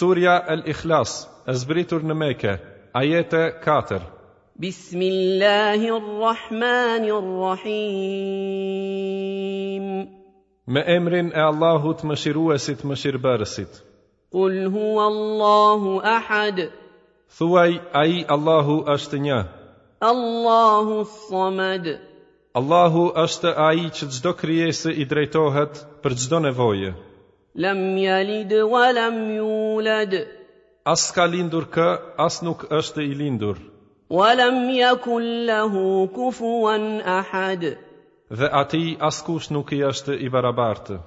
Surja El Ikhlas, e zbritur në Mekë, ajete 4. بسم الله الرحمن الرحيم Me emrin e Allahut Mëshiruesit Mëshirbërësit. قل هو الله احد Thuaj, Ai Allahu është një. الله الصمد Allahu është ai që çdo krijese i drejtohet për çdo nevojë. لم يلد ولم يولد As ka lindur kë, as nuk është i lindur, ولم يكن له كفوا احد dhe atij askush nuk i është i barabartë.